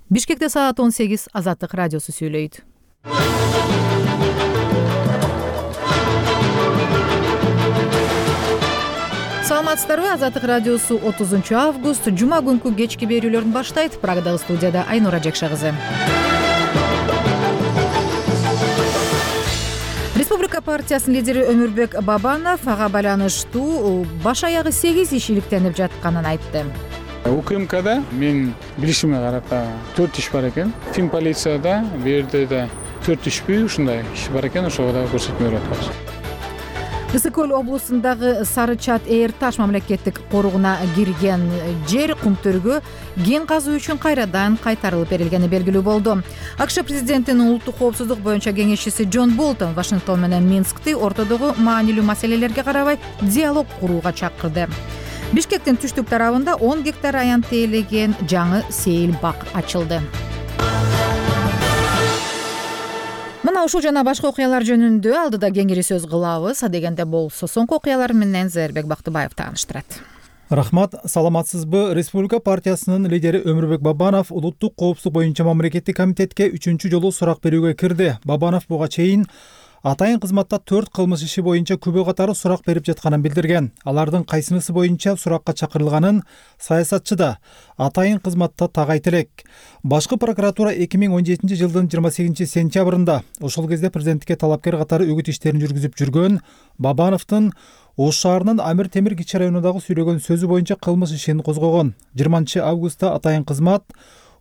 Бишкекте саат 18 Азаттык радиосу сүйлөйт. Саламатсыздарбы? Азаттык радиосу 30 август жума күнкү кечки берүүлөрүн баштайт. Прагадагы студияда Айнура Жекша кызы. Республика партиясынын лидери Өмүрбек Бабанов ага байланыштуу баш аягы 8 иш иликтенип жатканын айтты. УКМКда мен билишиме карата 4 иш бар экен. Тим полицияда бул жерде да 4 ишпи ушундай иш бар экен, ошого да көрсөтмө берип атабыз. Ысык көл облусундагы Сары Чат Эйр Таш мамлекеттик корууна кирген жер Кумтөргө кен казуу үчүн кайрадан кайтарылып берилгени белгилүү болду. АКШ президентинин улуттук коопсуздук боюнча кеңешчиси Джон Болтон Вашингтон менен Минскти ортодогу маанилүү маселелерге карабай диалог курууга чакырды. Бишкектин түштүк тарабында 10 гектар аянт ээлеген жаңы сейил бак ачылды. Мына ушул жана башка окуялар жөнүндө алдыда кеңири сөз кылабыз. Дегенде болсо соңку окуялар менен Зээрбек Бактыбаев тааныштырат. Рахмат, саламатсызбы? Республика партиясынын лидери Өмүрбек Бабанов улуттук коопсуздук боюнча мамлекеттик комитетке 3-чү жолу сурак берүүгө кирди. Бабанов буга чейин атайын кызматта 4 кылмыш иши боюнча күбө катары сурак берип жатканын билдирген. Алардын кайсынысы боюнча суракка чакырылганын саясатчы да атайын кызматта так айта элек. Башкы прокуратура 2017 жылдын 28 сентябрында ошол кезде президентке талапкер катары үгүт иштерин жүргүзүп жүргөн Бабановдун Ош шаарынын Амир Темир кичи районундагы сүйлөгөн сөзү боюнча кылмыш ишин козгогон. 20 августта атайын кызмат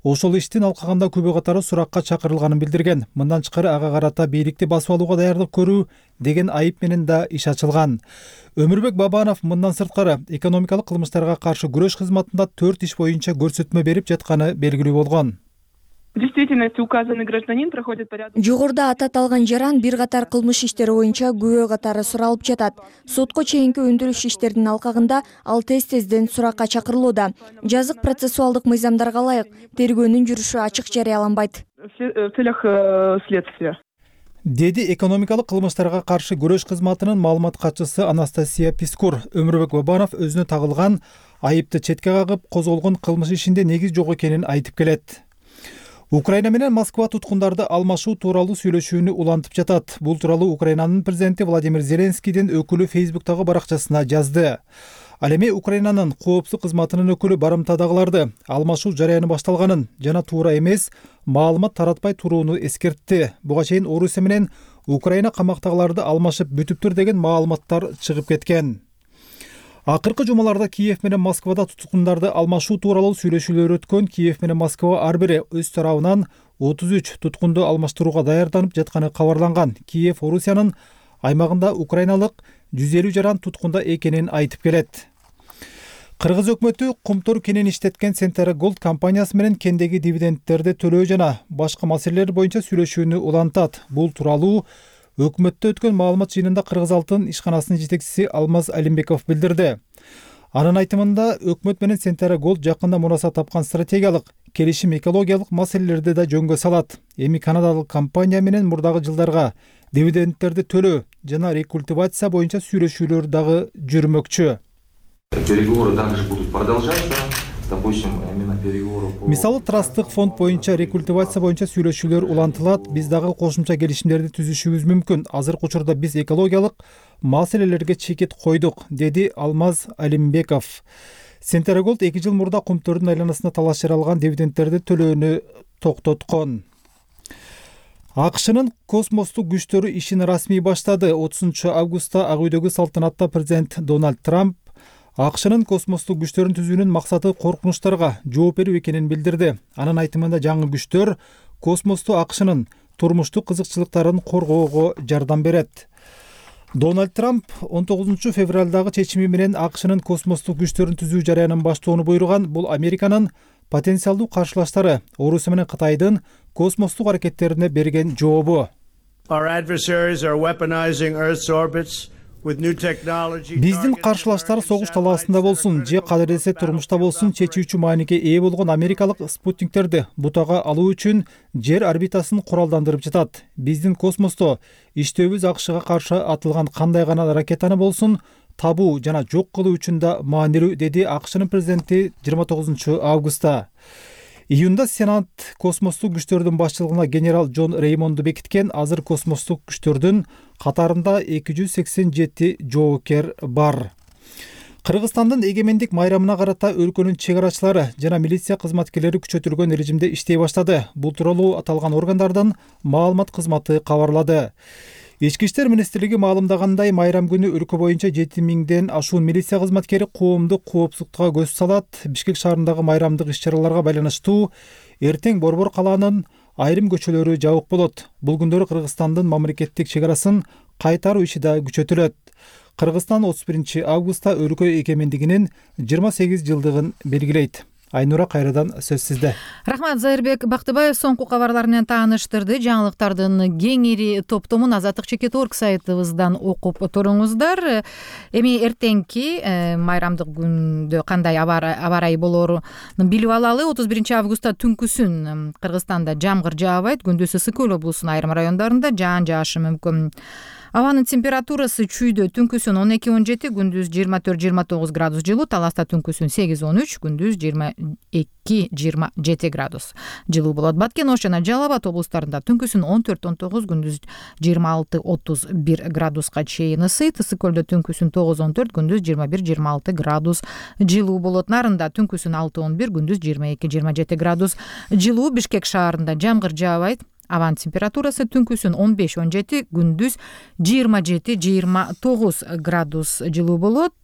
ошол иштин алкагында күбө катары суракка чакырылганын билдирген. Мындан тышкары ага карата бийликти басып алууга даярдык көрүү деген айып менен да иш ачылган. Өмүрбек Бабанов мындан сырткары экономикалык кылмыштарга каршы күрөш кызматында 4 иш боюнча көрсөтмө берип жатканы белгилүү болгон. В действительности указанный гражданин проходит порядок. Жогоруда аталган жаран бир катар кылмыш иштери боюнча күбө катары суралып жатат. Сотко чейинки өндүрүш иштеринин алкагында ал тез-тезден суракка чакырылууда. Жазык процессуалдык мыйзамдарга ылайык тергөөнүн жүрүшү ачык жарыяланбайт. В целях следствия. Деди экономикалык кылмыштарга каршы күрөш кызматынын маалымат катчысы Анастасия Пискур. Өмүрбек Бабанов өзүнө тагылган айыпты четке кагып, козголгон кылмыш ишинде негиз жок экенин айтып келет. Украина менен Москва туткундарды алмашуу тууралуу сүйлөшүүнү улантып жатат. Бул тууралуу Украинанын президенти Владимир Зеленскийдин өкүлү Фейсбуктагы баракчасына жазды. Ал эми Украинанын коопсуздук кызматынын өкүлү барымтадагыларды алмашуу жараяны башталганын жана туура эмес маалымат таратпай турууну эскертти. Буга чейин Орусия менен Украина камактагыларды алмашып бүтүптүр деген маалыматтар чыгып кеткен. Акыркы жумаларда Киев менен Москвада туткундарды алмашуу тууралуу сүйлөшүүлөр өткөн. Киев менен Москва ар бири өз тарабынан 33 туткунду алмаштырууга даярданып жатканы кабарланган. Киев Орусиянын аймагында украиналык 150 жаран туткунда экенин айтып келет. Кыргыз өкмөтү Кумтөр кенин иштеткен Centara Gold компаниясы менен кендеги дивидендтерди төлөө жана башка маселелер боюнча сүйлөшүүнү улантат. Бул тууралуу өкмөттө өткөн маалымат жыйынында Кыргыз алтын ишканасынын жетекчиси Алмаз Алимбеков билдирди. Анын айтымында өкмөт менен Centara Gold жакында мурасат тапкан стратегиялык келишим экологиялык маселелерди да жөнгө салат. Эми канадалык компания менен мурдагы жылдарга дивидендтерди төлөө жана рекультивация боюнча сүйлөшүүлөр дагы жүрмөкчү. Переговоры также будут продолжаться. Мисалы трасттык фонд боюнча рекультивация боюнча сүйлөшүүлөр улантылат. Биз дагы кошумча келишимдерди түзүшүбүз мүмкүн. Азыркы учурда биз экологиялык маселелерге чекит койдук, деди Алмаз Алимбеков. Centara Gold 2 жыл мурда Кумтөрдүн айланасына талаш жаралган дивидендтерди төлөөнү токтоткон. АКШнын космостук күчтөрү ишин расмий баштады. 30 августта Ак үйдөгү салтанатта президент Дональд Трамп АКШнын космостук күчтөрүн түзүүнүн максаты коркунучтарга жооп берүү экенин билдирди. Анын айтымында жаңы күчтөр космосту АКШнын турмуштук кызыкчылыктарын коргоого жардам берет. Дональд Трамп 19 февралдагы чечими менен АКШнын космостук күчтөрүн түзүү жараянын баштоону буйруган. Бул Американын потенциалдуу каршылаштары Орусия менен Кытайдын космостук аракеттерине берген жообу. Биздин каршылаштар согуш талаасында болсун же кадырлесе турмушта болсун чечүүчү мааниге ээ болгон америкалык спутниктерди бутага алуу үчүн жер орбитасын куралдандырып жатат. Биздин космосто иштөөбүз АКШга каршы атылган кандай гана ракетаны болсун табуу жана жок кылуу үчүн да маанилүү, деди АКШнын президенти 29 августта. Июнда Сенат космостук күчтөрдүн башчылыгына генерал Джон Реймонду бекиткен. Азыр космостук күчтөрдүн катарында 287 жоокер бар. Кыргызстандын эгемендик майрамына карата өлкөнүн чек арачылары жана милиция кызматкерлери күчөтүлгөн режимде иштей баштады. Бул тууралуу аталган органдардан маалымат кызматы кабарлады. Ички иштер министрлиги маалымдагандай, майрам күнү өлкө боюнча 7000ден ашуун милиция кызматкери коомдук коопсуздукка көз салат. Бишкек шаарындагы майрамдык иш-чараларга байланыштуу эртең Борбор калаанын айрым көчөлөрү жабык болот. Бул күндөрү Кыргызстандын мамлекеттик чек арасын кайтаруу иши да күчөтүлөт. Кыргызстан 31 августта өлкө эгемендигинин 28 жылдыгын белгилейт. Айнура, кайрадан сөз сизде. Рахмат, Зайырбек Бактыбаев соңку кабарлар менен тааныштырды. Жаңылыктардын кеңири топтомун Азаттык Чекит.org сайтыбыздан окуп туруңуздар. Эми эртеңки майрамдык күндө кандай аба ырайы болоорун билип алалы. 31 августта түнкүсүн Кыргызстанда жамгыр жаабайт. Күндүз Ысык-Көл облусунун айрым райондарында жаан жаашы мүмкүн. Абанын температурасы чүйдө түнкүсүн 12-17, күндүз 24-29 градус жылуу, Таласта түнкүсүн 8-13, күндүз 22-27 градус жылуу болот. Баткен, Ош жана Жалал Абад облустарында түнкүсүн 14-19, күндүз 26-31 градуска чейин ысыйт. Ысык-Көлдө түнкүсүн 9-14, күндүз 21-26 градус жылуу болот. Нарында түнкүсүн 6-11, күндүз 22-27 градус жылуу. Бишкек шаарында жамгыр жаабайт. Аван температурасы түнкүсүн 15-17, күндүз 27-29 градус жылуу болот.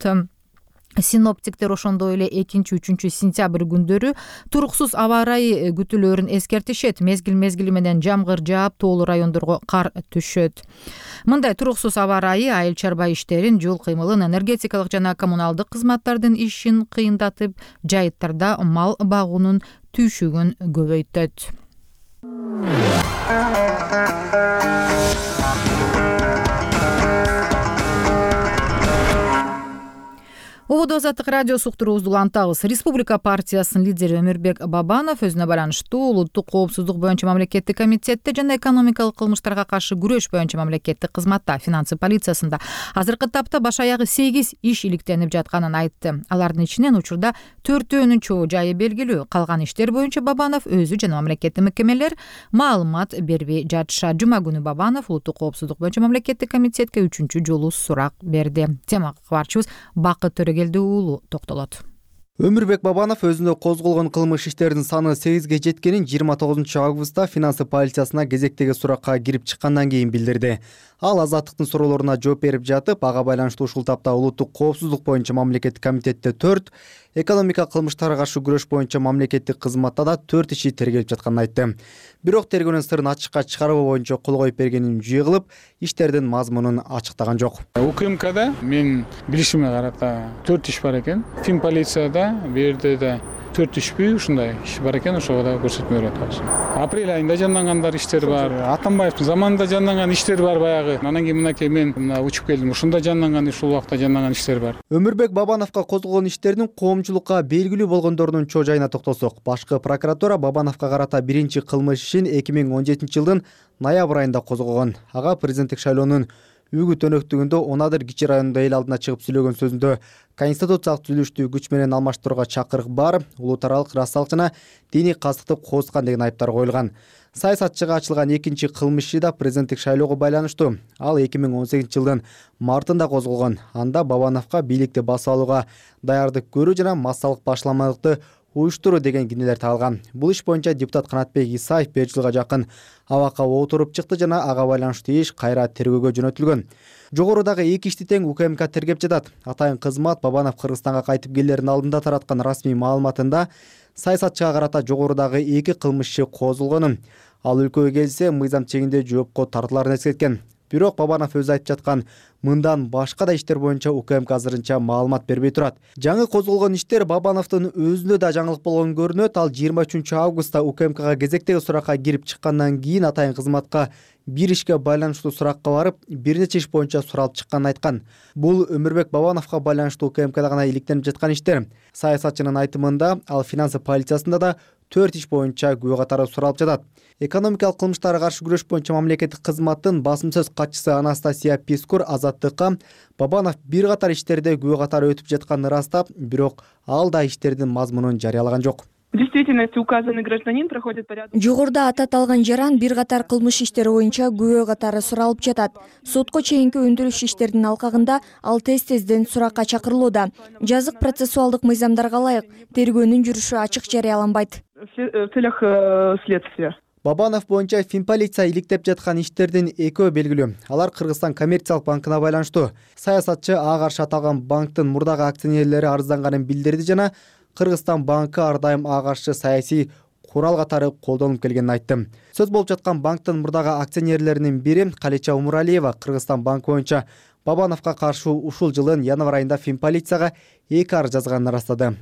Синоптиктер ошондой эле 2-3 сентябрь күндөрү туруксуз аба ырайы күтүлөөрүн эскертишет. Мезгил менен жамгыр жаап, тоолуу райондорго кар түшөт. Мындай туруксуз аба ырайы айыл чарба иштерин, жол кыймылын, энергетикалык жана коммуналдык кызматтардын ишин кыйындатып, жайыттарда мал багуунун түйшүгүн көбөйтөт. Ободо Азаттык радиосу уктуруубузду улантабыз. Республика партиясынын лидери Өмүрбек Бабанов өзүнө байланыштуу улуттук коопсуздук боюнча мамлекеттик комитетте жана экономикалык кылмыштарга каршы күрөш боюнча мамлекеттик кызматта финансы полициясында азыркы тапта баш аягы 8 иш иликтенип жатканын айтты. Алардын ичинен учурда 4өөнүн чоо жайы белгилүү. Калган иштер боюнча Бабанов өзү жана мамлекеттик мекемелер маалымат бербей жатышат. Жума күнү Бабанов улуттук коопсуздук боюнча мамлекеттик комитетке 3-чү жолу сурак берди. Темага кабарчыбыз Бакыт Төрөгелдиулу токтолот. Өмүрбек Бабанов өзүнө козголгон кылмыш иштеринин саны 8ге жеткенин 29 августта финансы полициясына кезектеги суракка кирип чыккандан кийин билдирди. Ал Азаттыктын суроолоруна жооп берип жатып, ага байланыштуу ушул тапта улуттук коопсуздук боюнча мамлекеттик комитетте 4, экономика кылмыштарга каршы күрөш боюнча мамлекеттик кызматта да 4 иши тергелип жатканын айтты. Бирок тергөөнүн сырын ачыкка чыгаруу боюнча кол коюп бергенин жүйө кылып, иштердин мазмунун ачыктаган жок. УКМКда мен билишиме карата 4 иш бар экен. Финполицияда берде да 4 ишпи ушундай иш бар экен, ошого да көрсөтмө берип атабыз. Апрель айында жандангандар иштер бар. Атамбаевдин заманында жанданган иштер бар баягы. Анан кийин мынакей мен учуп келдим. Ушунда жанданган, ушул убакта жанданган иштер бар. Өмүрбек Бабановго козголгон иштердин коомчулукка белгилүү болгондорунун чоо жайына токтолсок, башкы прокуратура Бабановго карата биринчи кылмыш ишин 2017 жылдын ноябрь айында козгогон. Ага президенттик шайлоонун үгүт өнөктүгүндө Онадыр Кичи районунда эл алдына чыгып сүйлөгөн сөзүндө конституциялык түзүлүштү күч менен алмаштырууга чакырык бар, улуутаралык расалык жана диний кастыкты кооздукан деген айыптар коюлган. Саясатчыга ачылган экинчи кылмыш иши да президенттик шайлоого байланыштуу. Ал 2018 жылдын мартында козголгон. Анда Бабановго бийликти басып алууга даярдык көрүү жана массалык башламалыкты уюштуруу деген кинелер тагылган. Бул иш боюнча депутат Канатбек Исаев 5 жылга жакын абакка отуруп чыкты жана ага байланыштуу иш кайра тергөөгө жөнөтүлгөн. Жогорудагы 2 ишти тең УКМК тергеп жатат. Атайын кызмат Бабанов Кыргызстанга кайтып келердин алдында тараткан расмий маалыматында саясатчыга карата жогорудагы 2 кылмыш иши козголгонун, ал өлкөгө келсе мыйзам чегинде жоопко тартыларын эскерткен. Бирок Бабанов өзү айтып жаткан мындан башка да иштер боюнча УКМК азырынча маалымат бербей турат. Жаңы козголгон иштер Бабановдун өзүнө да жаңылык болгон көрүнөт. Ал 23 августта УКМКга кезектеги суракка кирип чыккандан кийин атайын кызматка бир ишке байланыштуу суракка барып, бир нече иш боюнча суралып чыкканын айткан. Бул Өмүрбек Бабановго байланыштуу УКМКда гана иликтенип жаткан иштер. Саясатчынын айтымында ал финансы полициясында да 4 иш боюнча күбө катары суралып жатат. Экономикалык кылмыштарга каршы күрөш боюнча мамлекеттик кызматтын басым сөз катчысы Анастасия Пискур Азаттыкка Бабанов бир катар иштерде күбө катары өтүп жатканын ырастап, бирок ал да иштердин мазмунун жарыялаган жок. В действительности указанный гражданин проходит порядок. Жогоруда аталган жаран бир катар кылмыш иштери боюнча күбө катары суралып жатат. Сотко чейинки өндүрүш иштеринин алкагында ал тез-тезден суракка чакырылууда. Жазык процессуалдык мыйзамдарга ылайык тергөөнүн жүрүшү ачык жарыяланбайт. В целях следствия. Бабанов боюнча финполиция иликтеп жаткан иштердин экөө белгилүү. Алар Кыргызстан коммерциялык банкына байланыштуу. Саясатчы ага каршы аталган банктын мурдагы акционерлери арызданганын билдирди жана Кыргызстан банкы ар дайым ага каршы саясий курал катары колдонуп келгенин айтты. Сөз болуп жаткан банктын мурдагы акционерлеринин бири Калича Умуралиева Кыргызстан банкы боюнча Бабановго каршы ушул жылдын январь айында финполицияга 2 арыз жазганын ырастады.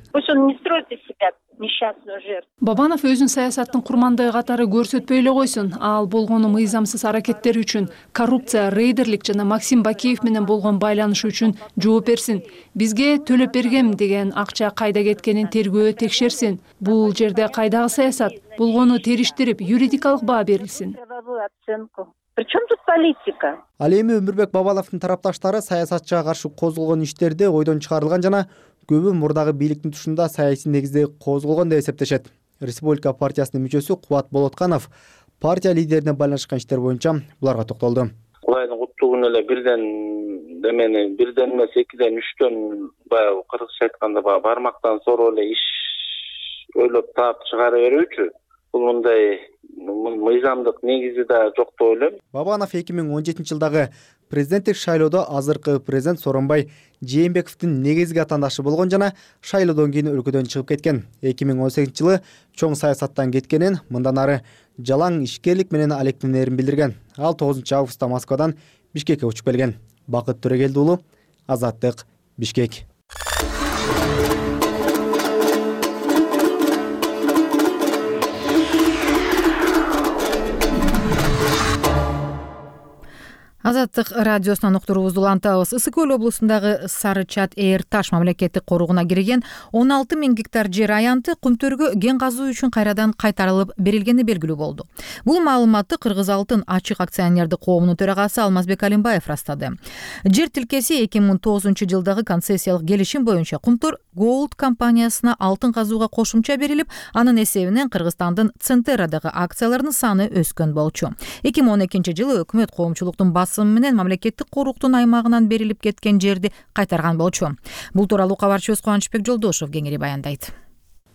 Бабанов өзүн саясаттын курмандыгы катары көрсөтпөй эле койсун. Ал болгону мыйзамсыз аракеттери үчүн, коррупция, рейдерлик жана Максим Бакиев менен болгон байланышы үчүн жооп берсин. Бизге төлөп бергем деген акча кайда кеткенин тергөө текшерсин. Бул жерде кайдагы саясат? Болгону териштирип, юридикалык баа берилсин. Причем тут политика? Ал эми Өмүрбек Бабановдун тарапташтары саясатчыга каршы козголгон иштерде ойдон чыгарылган жана көбү мурдагы бийликтин тушунда саясий негизде козголгон деп эсептешет. Республика партиясынын мүчөсү Кубат Болотканов партия лидерине байланышкан иштер боюнча буларга токтолду. Кудайдын куттугун эле бирден эмес, экиден, үчтөн баягы кыргызча айтканда бармактан сороо эле иш ойлоп таап чыгара берүүчү. Бул мындай мыйзамдык негизи да жок деп ойлойм. Бабанов 2017-жылдагы президенттик шайлоодо азыркы президент Сооронбай Жээнбековдун негизги атаандашы болгон жана шайлоодон кийин өлкөдөн чыгып кеткен. 2018-жылы чоң саясаттан кеткенин, мындан ары жалаң ишкерлик менен алектенерин билдирген. Ал 9 августта Москвадан Бишкекке учуп келген. Бакыт Төрөгелди уулу, Азаттык, Бишкек. Азаттык радиосунан уктуруубузду улантабыз. Ысык Көл облусундагы Сары Чат Эйр Таш мамлекеттик коруугуна кирген 16 000 гектар жер аянты Кумтөргө кен казуу үчүн кайрадан кайтарылып берилгени белгилүү болду. Бул маалыматты Кыргыз Алтын ачык акционердик коомунун төрагасы Алмазбек Алимбаев растады. Жер тилкеси 2009-жылдагы концессиялык келишим боюнча Кумтөр Gold компаниясына алтын казууга кошумча берилип, анын эсебинен Кыргызстандын Центерадагы акцияларынын саны өскөн болчу. 2012-жылы өкмөт коомчулуктун менен мамлекеттик коруктун аймагынан берилип кеткен жерди кайтарган болчу. Бул тууралуу кабарчыбыз Кубанычбек Жолдошов кеңири баяндайт.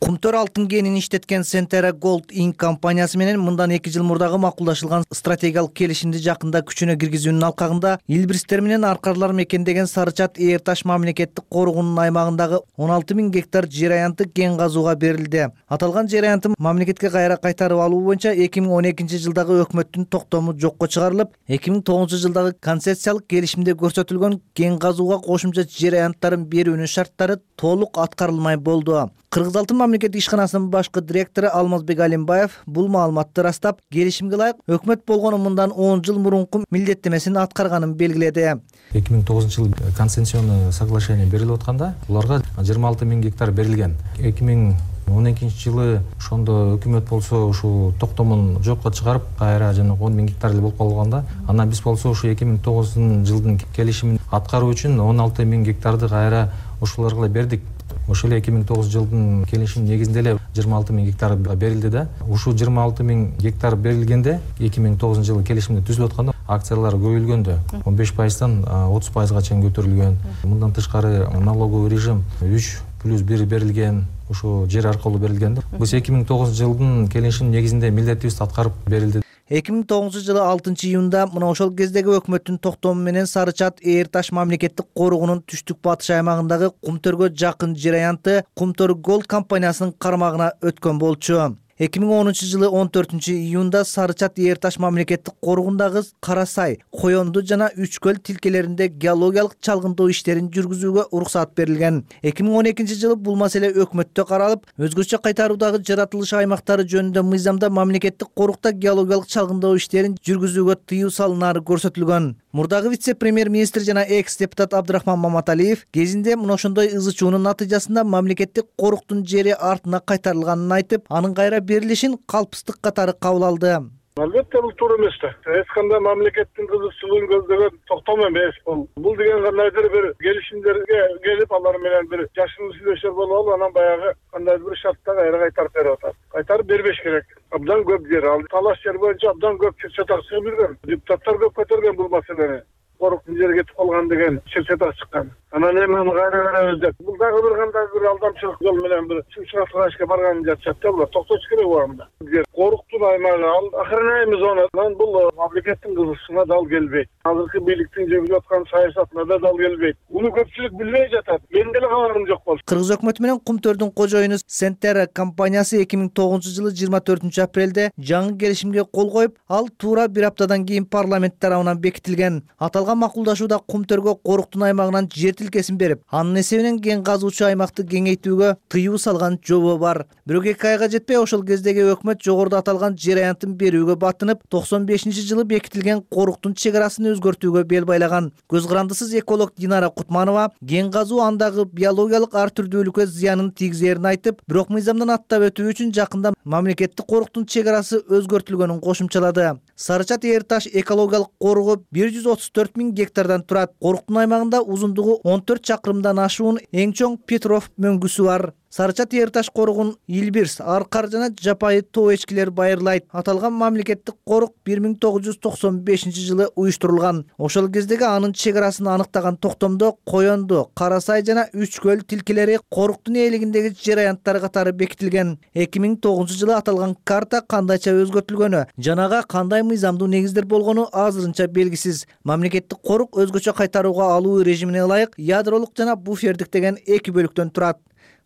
Кумтөр алтын кенин иштеткен Centera Gold Inc. компаниясы менен мындан 2 жыл мурдагы макулдашылган стратегиялык келишимди жакында күчүнө киргизүүнүн алкагында илбирстер менен аркарлар мекендеген Сары Чат Эйр Таш мамлекеттик коругунун аймагындагы 16 000 гектар жер аянты кен казууга берилди. Аталган жер аянты мамлекетке кайра кайтарып алуу боюнча 2012-жылдагы өкмөттүн токтому жокко чыгарылып, 2009-жылдагы концессиялык келишимде көрсөтүлгөн кен казууга кошумча жер аянттарын берүүнүн шарттары толук аткарылмай болду. Кыргыз Алтын мамлекеттик ишканасынын башкы директору Алмазбек Алимбаев бул маалыматты растап, келишимге ылайык өкмөт болгону мындан 10 жыл мурунку милдеттемесин аткарганын белгиледи. 2009-жылы концессионный соглашение берилип атканда, буларга 26 000 гектар берилген. 2012-жылы ошондо өкмөт болсо ушул токтомун жокко чыгарып, кайра жана 10 000 гектар эле болуп калганда, анан биз болсо ушу 2009-жылдын келишимин аткаруу үчүн 16 000 гектарды кайра ушуларга бердик. Ошол 2009-жылдын келишим негизинде эле 26 000 гектар берилди да. Ушул 26 000 гектар берилгенде 2009-жылы келишимде түзүлүп атканда акциялар көбөйүлгөндө 15%дан 30%га чейин көтөрүлгөн. Мындан тышкары налоговый режим 3+1 берилген, ушул жер аркылуу берилген. Биз 2009-жылдын келишим негизинде милдетибизди аткарып берилди. 2009-жылы 6-июнда мына ошол кездеги өкмөттүн токтому менен Сары Чат Эйр Таш мамлекеттик коругунун түштүк батыш аймагындагы Кумтөргө жакын жер аянты Кумтөр Gold компаниясынын кармагына өткөн болчу. 2010-жылы 14-июнда Сары Чат Эйр Таш мамлекеттик коругундагы Кара Сай, Коёнду жана Үчкөл тилкелеринде геологиялык чалгындоо иштерин жүргүзүүгө уруксат берилген. 2012-жылы бул маселе өкмөттө каралып, өзгөчө кайтаруудагы жаратылыш аймактары жөнүндө мыйзамда мамлекеттик корукта геологиялык чалгындоо иштерин жүргүзүүгө тыюу салынары көрсөтүлгөн. Мурдагы вице-премьер-министр жана экс-депутат Абдрахман Маматалиев кезинде мына ошондой ызычуунун натыйжасында мамлекеттик коруктун жери артына кайтарылганын айтып, анын кайра берилишин калпыстык катары кабыл алды. Албетте бул туура эмес да. Эч кандай мамлекеттин кызыкчылыгын көздөгөн токтом эмес бул. Бул деген кандайдыр бир келишимдерге келип, алар менен бир жашын сүйлөшөр болуп, анан баягы кандайдыр бир шартта кайра кайтарып берип атат. Кайтарып бербеш керек. Абдан көп жер ал талаш жер боюнча абдан көп чатак чыгып жүргөн. Депутаттар көп көтөргөн бул маселени. Коруктун жери кетип калган деген чатак чыккан. Анан эми аны кайра беребиз деп. Бул дагы бир кандай бир алдамчылык жол менен бир чыгышка барган жатышат да булар. Токтош керек убагында. Коруктун аймагы ал охраняемый зонадан бул мамлекеттин кызыкчылыгына дал келбейт. Азыркы бийликтин жүргүзүп аткан саясатына да дал келбейт. Муну көпчүлүк билбей жатат. Мен деле кабарым жок болду. Кыргыз өкмөтү менен Кумтөрдүн кожоюну Сентера компаниясы 2009-жылы 24-апрелде жаңы келишимге кол коюп, ал туура бир аптадан кийин парламент тарабынан бекитилген. Аталган макулдашууда Кумтөргө коруктун аймагынан жер тилкесин берип, анын эсебинен кен казуучу аймакты кеңейтүүгө тыюу салган жобо бар. Бирок 2 айга жетпей ошол кездеги өкмөт жогоруда аталган жер аянтын берүүгө баттынып, 95-жылы бекитилген коруктун чек арасын өзгөртүүгө бел байлаган. Көз карандысыз эколог Динара Кутманова кен казуу андагы биологиялык ар түрдүүлүккө зыянын тийгизерин айтып, бирок мыйзамдан аттап өтүү үчүн жакында мамлекеттик коруктун чек арасы өзгөртүлгөнүн кошумчалады. Сарычат Эйр Таш экологиялык коругу 134 000 гектардан турат. Коруктун аймагында узундугу 14 чакырымдан ашуун эң чоң Петров мөңгүсү бар. Сарычат Эйр Таш корugун Илбирс, Аркар жана жапайы тоо эчкилер байырлайт. Аталган мамлекеттик корук 1995-жылы уюштурулган. Ошол кездеги анын чек арасын аныктаган токтомдо Коёнду, Кара Сай жана Үч көл тилкелери коруктун ээлигиндеги жер аянттары катары бекитилген. 2009-жылы аталган карта кандайча өзгөртүлгөнү, жанага кандай мыйзамдуу негиздер болгону азырынча белгисиз. Мамлекеттик корук өзгөчө кайтарууга алуу режимине ылайык ядролук жана буфердик деген 2 бөлүктөн турат.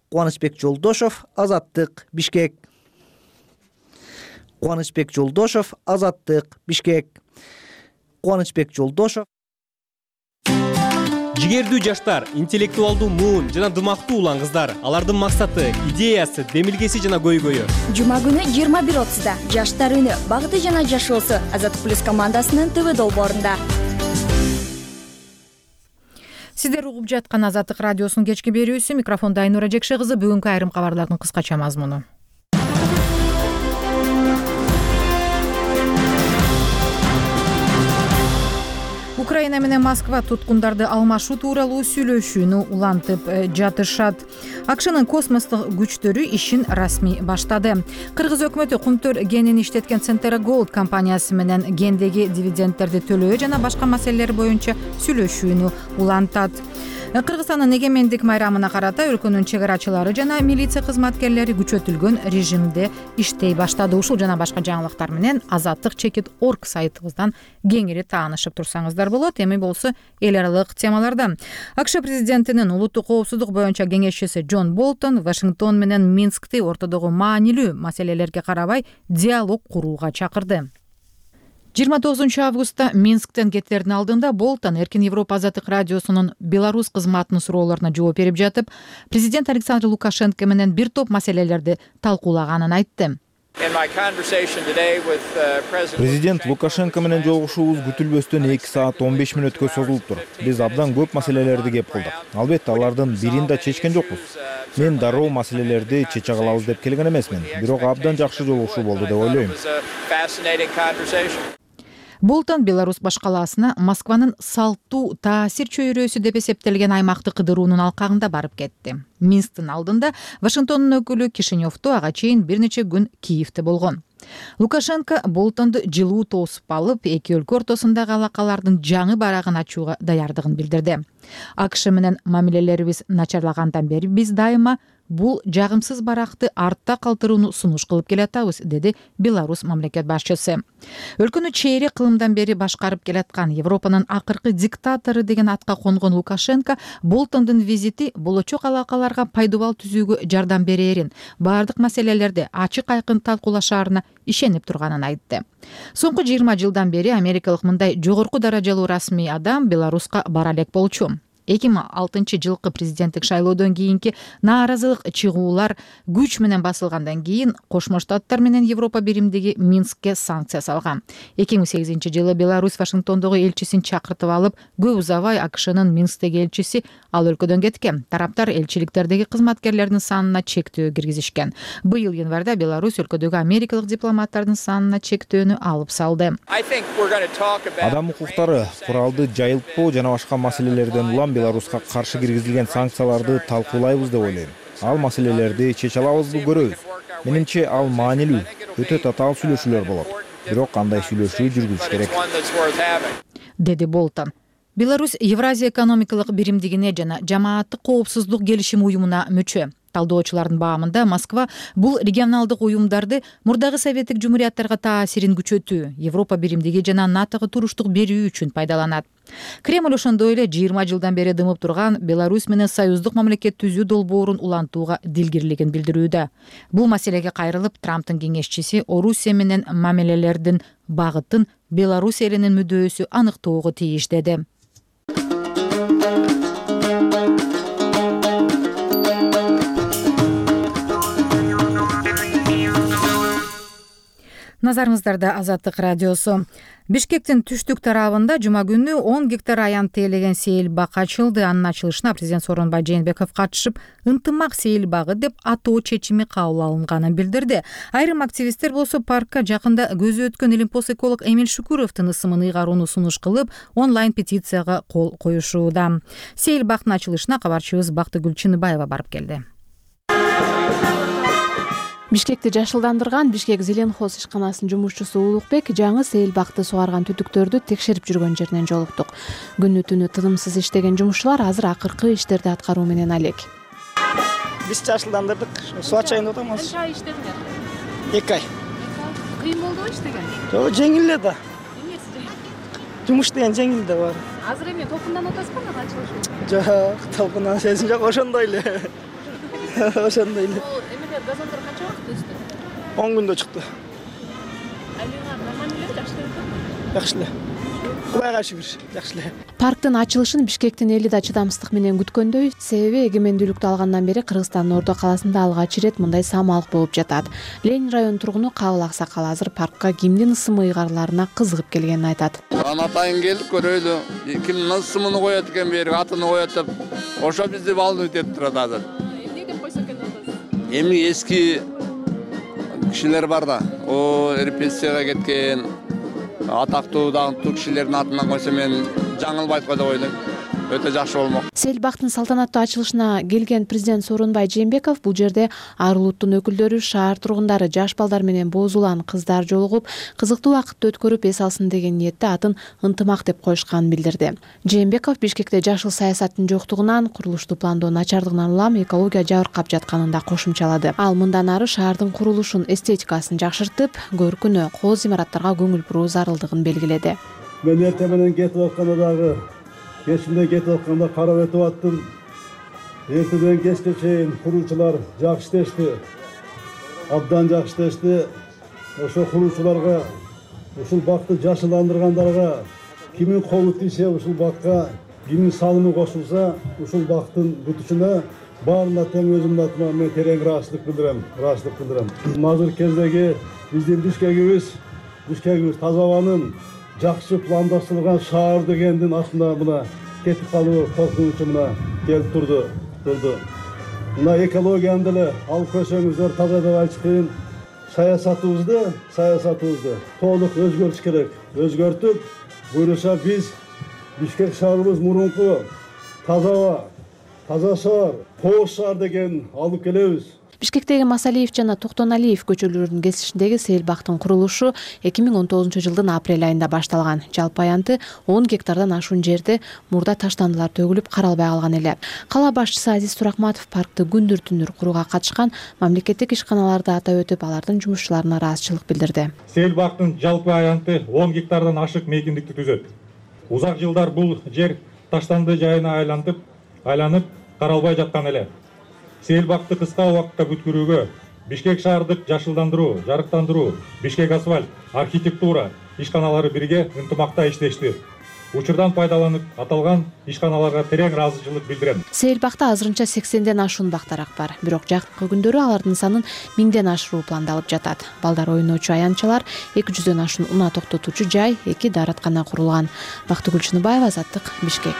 Кубанычбек Жолдошов, Азаттык, Бишкек. Кубанычбек Жолдошов, Азаттык, Бишкек. Кубанычбек Жолдошов. Жигердүү жаштар, интеллектуалдуу муун жана дымактуу улан кыздар. Алардын максаты, идеясы, демилгеси жана көйгөйү. Жума күнү 21:30-да Жаштар үнү, багыты жана жашоосу Азаттык плюс командасынын ТВ долбоорунда. Сиздер угуп жаткан Азаттык радиосунун кечки берүүсү. Микрофонда Айнура Жекше кызы. Бүгүнкү айрым кабарлардын кыскача мазмуну. Украина менен Москва туткундарды алмашуу тууралуу сүйлөшүүнү улантып жатышат. АКШнын космостук күчтөрү ишин расмий баштады. Кыргыз өкмөтү Кумтөр кенин иштеткен Сентера Gold компаниясы менен кендеги дивидендтерди төлөө жана башка маселелер боюнча сүйлөшүүнү улантат. Кыргызстандын эгемендик майрамына карата өлкөнүн чек арачылары жана милиция кызматкерлери күчөтүлгөн режимде иштей баштады. Ушул жана башка жаңылыктар менен Азаттык.org сайтыбыздан кеңири таанышып турсаңыздар болот. Эми болсо эл аралык темаларда. АКШ президентинин улуттук коопсуздук боюнча кеңешчиси Джон Болтон Вашингтон менен Минскти ортодогу маанилүү маселелерге карабай диалог курууга чакырды. 29-августта Минсктен кеттердин алдында Болтон Эркин Европа Азаттык радиосунун Беларусь кызматынын суроолоруна жооп берип жатып, президент Александр Лукашенко менен бир топ маселелерди талкуулаганын айтты. Президент Лукашенко менен жолугушуубуз күтүлбөстөн 2 саат 15 мүнөткө созулуптур. Биз абдан көп маселелерди кеп кылдык. Албетте алардын бирин да чечкен жокпуз. Мен дароо маселелерди чече калабыз деп келген эмесмин. Бирок абдан жакшы жолугушуу болду деп ойлойм. Болтон Беларусь башкаласына Москванын салттуу таасир чөйрөсү деп эсептелген аймакты кыдыруунун алкагында барып кетти. Минсктин алдында Вашингтондун өкүлү Кишиневду ага чейин бир нече күн Киевде болгон. Лукашенко Болтонду жылуу тосуп алып, эки өлкө ортосундагы алакалардын жаңы барагын ачууга даярдыгын билдирди. АКШ менен мамилелерибиз начарлагандан бери биз дайыма бул жагымсыз баракты артта калтырууну сунуш кылып келатабыз, деди Беларусь мамлекет башчысы. Өлкөнү чейрек кылымдан бери башкарып келаткан Европанын акыркы диктатору деген атка конгон Лукашенко Болтондун визити болочок алакаларга пайдубал түзүүгө жардам берерин, баардык маселелерди ачык айкын талкуулашаарына ишенип турганын айтты. Соңку 20 жылдан бери америкалык мындай жогорку даражалуу расмий адам Беларуска бара элек болчу. 2006-жылкы президенттик шайлоодон кийинки нааразылык чыгуулар күч менен басылгандан кийин Кошмо Штаттар менен Европа биримдиги Минскке санкция салган. 2008-жылы Беларусь Вашингтондогу элчисин чакыртып алып, көп узабай АКШнын Минсктеги элчиси ал өлкөдөн кеткен. Тараптар элчиликтердеги кызматкерлердин санына чектөө киргизишкен. Быйыл январда Беларусь өлкөдөгү америкалык дипломаттардын санына чектөөнү алып салды. Адам укуктары, куралды жайылтпоо жана башка маселелерден улам Беларуска каршы киргизилген санкцияларды талкуулайбыз деп ойлойм. Ал маселелерди чече алабызбы көрөбүз. Менимче ал маанилүү, өтө татаал сүйлөшүүлөр болот. Бирок кандай сүйлөшүү жүргүзүш керек, деди Болтон. Беларусь Евразия экономикалык биримдигине жана жамааттык коопсуздук келишим уюмуна мүчө. Талдоочулардын баамында Москва бул регионалдык уюмдарды мурдагы советтик жумурияттарга таасирин күчөтүү, Европа биримдиги жана НАТОго туруштук берүү үчүн пайдаланат. Кремль ошондой эле 20 жылдан бери дымып турган Беларусь менен союздук мамлекет түзүү долбоорун улантууга дилгирлигин билдирүүдө. Бул маселеге кайрылып, Трамптын кеңешчиси Орусия менен мамилелердин багытын Беларусь элинин мүдөөсү аныктоого тийиш деди. Назарыңыздарда Азаттык радиосу. Бишкектин түштүк тарабында жума күнү 10 гектар аянт тейлеген сейил бак ачылды. Анын ачылышына президент Сооронбай Жээнбеков катышып, ынтымак сейил багы деп атоо чечими кабыл алынганын билдирди. Айрым активисттер болсо паркка жакында көзү өткөн илимпоз эколог Эмиль Шукуровдун ысымын ыйгарууну сунуш кылып, онлайн петицияга кол коюшууда. Сейил бактын ачылышына кабарчыбыз Бактыгүл Чыныбаева барып келди. Бишкекти жашылдандырган Бишкек Зеленхоз ишканасынын жумушчусу Улукбек жаңы сейил бакты сугарган түтүктөрдү текшерип жүргөн жеринен жолуктук. Күнү түнү тынымсыз иштеген жумушчулар азыр акыркы иштерди аткаруу менен алек. Биз жашылдандырдык, суу ачайын деп атабыз. Канча ай иштедиңер? 2 ай. Кыйын болдубу иштеген? Жок, жеңил эле да. Эмнеси жеңил? Жумуш деген жеңил да бар. Азыр эми толкундан атасызбы, ага ачылыш? Жок, толкундан сезим жок, ошондой эле. Ошондой эле. Эмелер газондор канча убакыт өстү? 10 күндө чыкты. Айлыгы нормально эле, жакшы эле. Жакшы эле. Кудайга шүгүр, жакшы эле. Парктын ачылышын Бишкектин эли да чыдамсыздык менен күткөндөй, себеби эгемендүүлүктү алгандан бери Кыргызстандын Ордо каласында алгач ирет мындай самалык болуп жатат. Ленин район тургуну Кабыл Аксакал азыр паркка кимдин ысымы ыйгарыларына кызыгып келгенин айтат. Атайын келип көрөлү, кимдин ысымын коет экен бери, атын коет деп, ошо бизди волнует этип турат азыр. Эмне деп койсо экен атасыз? Эми эски кишилер бар да, о репрессияга кеткен атактуу даңктуу кишилердин атынан койсо мен жаңылбайт го деп ойлойм. Өтө жакшы болмок. Сейил бактын салтанаттуу ачылышына келген президент Сооронбай Жээнбеков бул жерде ар улуттун өкүлдөрү, шаар тургундары, жаш балдар менен боз улан кыздар жолугуп, кызыктуу убакытты өткөрүп эс алсын деген ниетте атын ынтымак деп коюшканын билдирди. Жээнбеков Бишкекте жашыл саясаттын жоктугунан, курулушту пландоо начардыгынан улам экология жабыркап жатканын да кошумчалады. Ал мындан ары шаардын курулушун, эстетикасын жакшыртып, көркүнө, кооз имараттарга көңүл буруу зарылдыгын белгиледи. Мен эртең менен кетип атканда дагы кечинде кетип атканда карап өтүп аттым. Эртеден кечке чейин куруучулар жакшы иштешти. Абдан жакшы иштешти. Ошо куруучуларга, ушул бакты жашылдандыргандарга кимин колу тийсе ушул бакка, кимин салымы кошулса ушул бактын бүтүшүнө баарына тең өзүмдүн атыма мен терең ыраазычылык билдирем. Азыр кездеги биздин Бишкегибиз таза абанын жакшы пландаштырылган шаар дегендин астында мына кетип калуу коркунучу мына келип турду. Мына экологияны деле алып көрсөңүздөр таза деп айтыш кыйын. Саясатыбызды толук өзгөртүш керек. Өзгөртүп, буюрса биз Бишкек шаарыбыз мурунку таза аба, таза шаар, кооз шаар деген алып келебиз. Бишкектеги Масалиев жана Токтоналиев көчөлөрүнүн кесишиндеги сейил бактын курулушу 2019-жылдын апрель айында башталган. Жалпы аянты 10 гектардан ашуун жерде мурда таштандылар төгүлүп каралбай калган эле. Кала башчысы Азиз Туракматов паркты күндүр-түнүр курууга катышкан мамлекеттик ишканаларды атап өтүп, алардын жумушчуларына ыраазычылык билдирди. Сейил бактын жалпы аянты 10 гектардан ашык мейкиндикти түзөт. Узак жылдар бул жер таштанды жайына айланып каралбай жаткан эле. Сейил бакты кыска убакытта бүткүрүүгө Бишкек шаардык жашылдандыруу, жарыктандыруу, Бишкек асфальт, архитектура ишканалары бирге ынтымакта иштешти. учурдан пайдаланып аталган ишканаларга терең ыраазычылык билдирем. Сейилбакта азырынча 80ден ашуун бактарак бар. Бирок жакынкы күндөрү алардын санын 1000ден ашыруу пландалып жатат. Балдар ойночу аянтчалар, 200дөн ашуун унаа токтотуучу жай, 2 даараткана курулган. Бактыгүл Чыныбаева, Азаттык, Бишкек.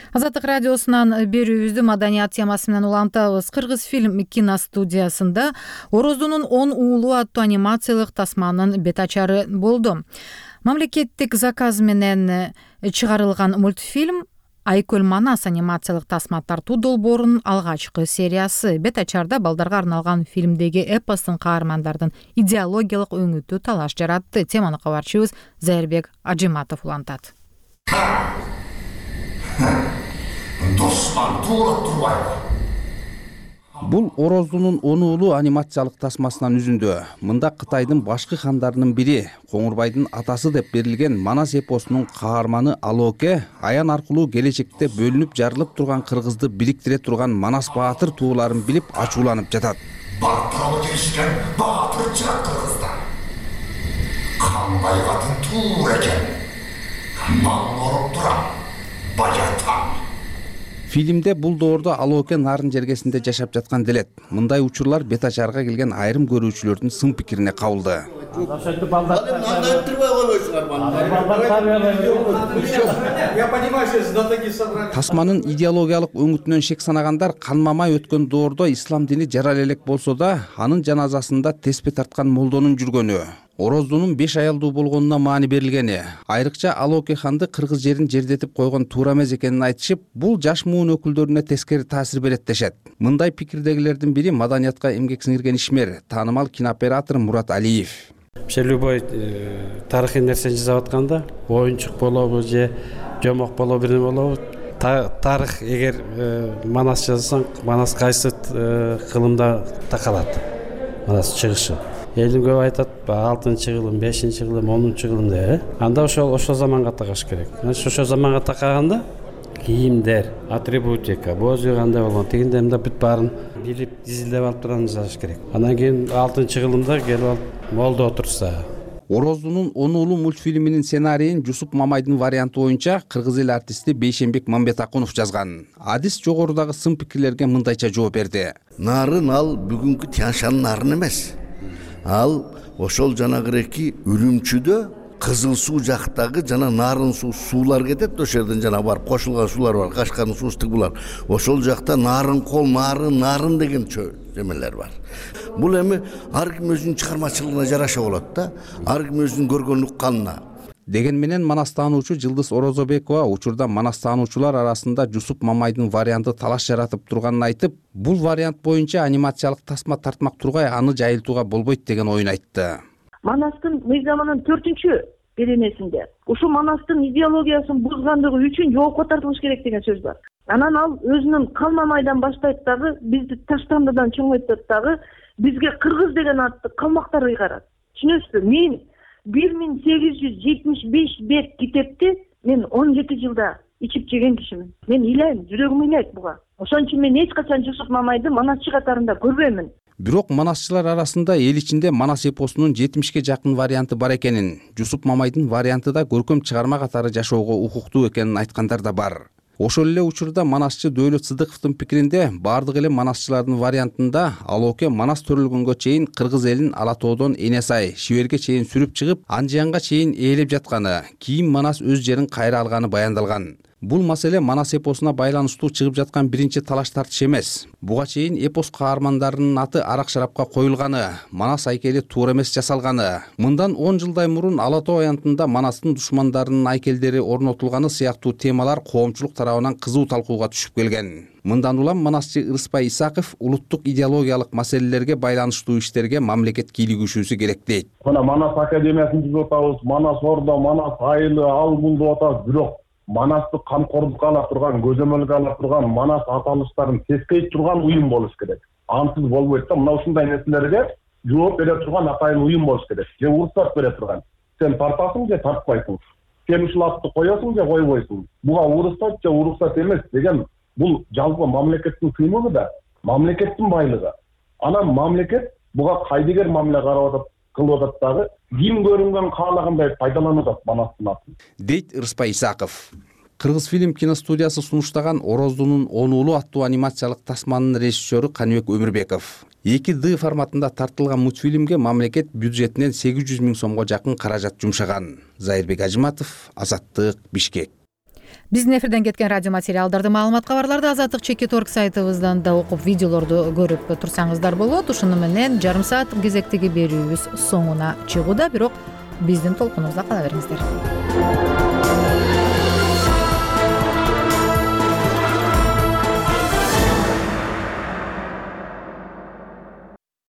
Азаттык радиосунан берүүбүздү маданият темасы менен улантабыз. Кыргыз фильм киностудиясында Ороздунун 10 уулу аттуу анимациялык тасманын бет ачары болду. Мамлекеттик заказ менен чыгарылган мультфильм Айкөл Манас анимациялык тасма тартуу долбоорунун алгачкы сериясы. Бет ачарда балдарга арналган фильмдеги эпостун каармандардын идеологиялык өңүтү талаш жаратты. Теманы кабарчыбыз Зайырбек Ажиматов улантат. Бул Ороздунун 10 уулу анимациялык тасмасынан үзүндү. Мында Кытайдын башкы хандарынын бири, Коңурбайдын атасы деп берилген Манас эпосунун каарманы Алоке аян аркылуу келечекте бөлүнүп жарылып турган Кыргызды бириктире турган Манас баатыр тууларын билип ачууланып жатат. Баттырабы келишкен баатыр чыгат Кыргызда. Кандай катын туур экен. Мал оруп турам. Баятам. Фильмде бул доордо Алоке нарын жергесинде жашап жаткан делет. Мындай учурлар бет ачарга келген айрым көрүүчүлөрдүн сын пикирине кабылды. Тасманын идеологиялык өңүтүнөн шек санагандар канмамай өткөн доордо ислам дини жарал элек болсо да, анын жаназасында теспе тарткан молдонун жүргөнү, Ороздунун 5 аялдуу болгонуна маани берилгени, айрыкча Алоке ханды кыргыз жерин жердетип койгон туура эмес экенин айтышып, бул жаш муун өкүлдөрүнө тескери таасир берет дешет. Мындай пикирдегилердин бири маданиятка эмгек сиңирген ишмер, таанымал кинооператор Мурат Алиев. Любой тарыхый нерсени жасап атканда, оюнчук болобу же жомок болобу, бир болобу, тарых эгер Манас жазсаң, Манас кайсы кылымда такалат. Манас чыгышы. Элим көп айтат, 6-кылым, 5-кылым, 10-кылым деп. Анда ошол заманга такаш керек. Ошол заманга такаганда кийимдер, атрибутика, бозу кандай болгон, тигинде мында бүт баарын билип, дизилдеп алып турган жазыш керек. Андан кийин 6-кылымда келип алып молдо отурса. Ороздунун 10 уулу мультфильминин сценарийин Жусуп Мамайдын варианты боюнча кыргыз эл артисти Бейшенбек Мамбетакунов жазган. Адис жогорудагы сын пикирлерге мындайча жооп берди. Нарын ал бүгүнкү Тяньшан нарын эмес. Ал ошол жанагыреки Үрүмчүдө Кызыл суу жактагы жана нарын суулар кетет, ошол жерден жана барып кошулган суулар бар, Кашкардын суустук булар. Ошол жакта нарын кол, нарын деген жемелер бар. Бул эми ар ким өзүнүн чыгармачылыгына жараша болот да, ар ким өзүнүн көргөн укканына. Деген менен Манас таануучу Жылдыз Орозобекова учурда Манас таануучулар арасында Жусуп Мамайдын варианты талаш жаратып турганын айтып, бул вариант боюнча анимациялык тасма тартмак тургай аны жайылтууга болбойт деген оюн айтты. Манастын мыйзамынын 4-беренесинде ушу Манастын идеологиясын бузгандыгы үчүн жоопко тартылыш керек деген сөз бар. Анан ал өзүнүн Калмамайдан баштайт дагы, бизди Таштандыдан чоңойтот дагы, бизге кыргыз деген атты калмактар ыйгарат. Түшүнөсүзбү? Мен 1875 бет китепти мен 17 жылда ичип жеген кишимин. Мен ыйлайм, жүрөгүм ыйлайт буга. Ошон үчүн мен эч качан Жусуп Мамайды манасчы катарында көрбөймүн. Бирок манасчылар арасында эл ичинде Манас эпосунун 70ке жакын варианты бар экенин, Жусуп Мамайдын варианты да көркөм чыгарма катары жашоого укуктуу экенин айткандар да бар. Ошол эле учурда манасчы Дөөлөт Сыдыковдун пикиринде бардык эле манасчылардын вариантында Алоке Манас төрөлгөнгө чейин кыргыз элин Ала тоодон Эне сай, Шиберге чейин сүрүп чыгып, Анжиянга чейин ээлеп жатканы, кийин Манас өз жерин кайра алганы баяндалган. Бул маселе Манас эпосуна байланыштуу чыгып жаткан биринчи талаш тартыш эмес. Буга чейин эпос каармандарынын аты арак шарапка коюлганы, Манас айкели туура эмес жасалганы, мындан 10 жылдай мурун Ала тоо аянтында Манастын душмандарынын айкелдери орнотулганы сыяктуу темалар коомчулук тарабынан кызуу талкууга түшүп келген. Мындан улам манасчы Ырыспай Исаков улуттук идеологиялык маселелерге байланыштуу иштерге мамлекет кийлигишүүсү керек дейт. Мына Манас академиясын түзүп атабыз, Манас ордо, Манас айылы, ал бул деп атабыз, бирок Манасты камкордукка ала турган, көзөмөлгө ала турган, Манас аталыштарын тескейт турган уюм болуш керек. Ансыз болбойт да. Мына ушундай нерселерге жооп бере турган атайын уюм болуш керек. Же уруксат бере турган. Сен тартасың же тартпайсың. Сен ушул атты коесуң же койбойсуң. Буга уруксат же уруксат эмес деген бул жалпы мамлекеттин кыймылы да, мамлекеттин байлыгы. Анан мамлекет буга кайдыгер мамиле карап атат. кылып атат дагы ким көрүнгөн каалагандай пайдаланып атат манастын атын, дейт Ырыспай Исаков. Кыргыз фильм киностудиясы сунуштаган Ороздунун 10 уулу аттуу анимациялык тасманын режиссеру Каныбек Өмүрбеков 2D форматында тартылган мультфильмге мамлекет бюджетинен 800 000 сомго жакын каражат жумшаган. Зайырбек Ажиматов, Азаттык, Бишкек. Биздин эфирден кеткен радио материалдарды, маалымат, кабарларды Азаттык.org сайтыбыздан да окуп, видеолорду көрүп турсаңыздар болот. Ушуну менен жарым саат кезектеги берүүбүз соңуна чыгууда, бирок биздин толкунубузда кала бериңиздер.